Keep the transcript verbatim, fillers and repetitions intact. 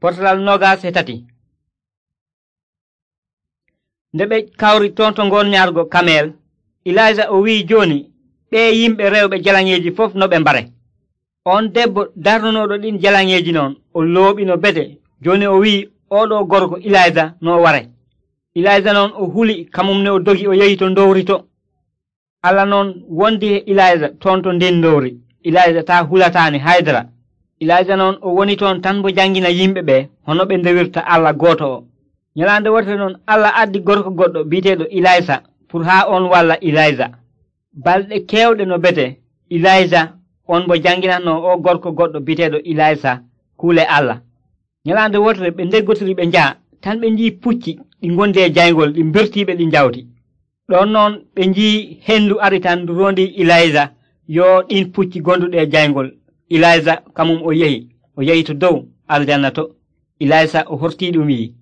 Portalal nogas e tati. Nde ɓe kawri toon to ngornyaargo Kamel, Ilayja o wi'i jooni ɓee yimɓe rewɓe jalaŋeeji fof no ɓe mbare. On debbo darnunooɗo ɗin jalaŋeeji noon o looɓino bete. Jooni o wi'i oɗo gorko Ilayja no o ware. Ilayja noon o huli kamum ne o dogi o yehi to ndowri to. Allah noon wondi e Ilayja toon to ndin ndowri. Ilayja taa hulataani haydara. Ilayja noon o woni toon tan bo jangina yimɓe ɓe hono ɓe ndewirta Allah gooto o. Nyalaande wotere noon Allah addi gorko goɗɗo bi'eteeɗo Ilaysa pour haa on walla Ilayja. Balɗe keewɗe no bete Ilayja on bo janginatno o gorko goɗɗo bi'eteeɗo Ilaysa kuule Allah. Nyalaande wotere ɓe ndeggotiri ɓe njaha tan ɓe njii pucci ɗi ngondi e jayngol ɗi bertiiɓe ɗi njawti. Ɗon noon ɓe njii hendu ari tan ndu rondi Ilayja yo ɗin pucci gonduɗe e jayngol. Ilayja kamum o yehi o yehi to dow aljanna to. Ilaysa o hortii ɗum wi'i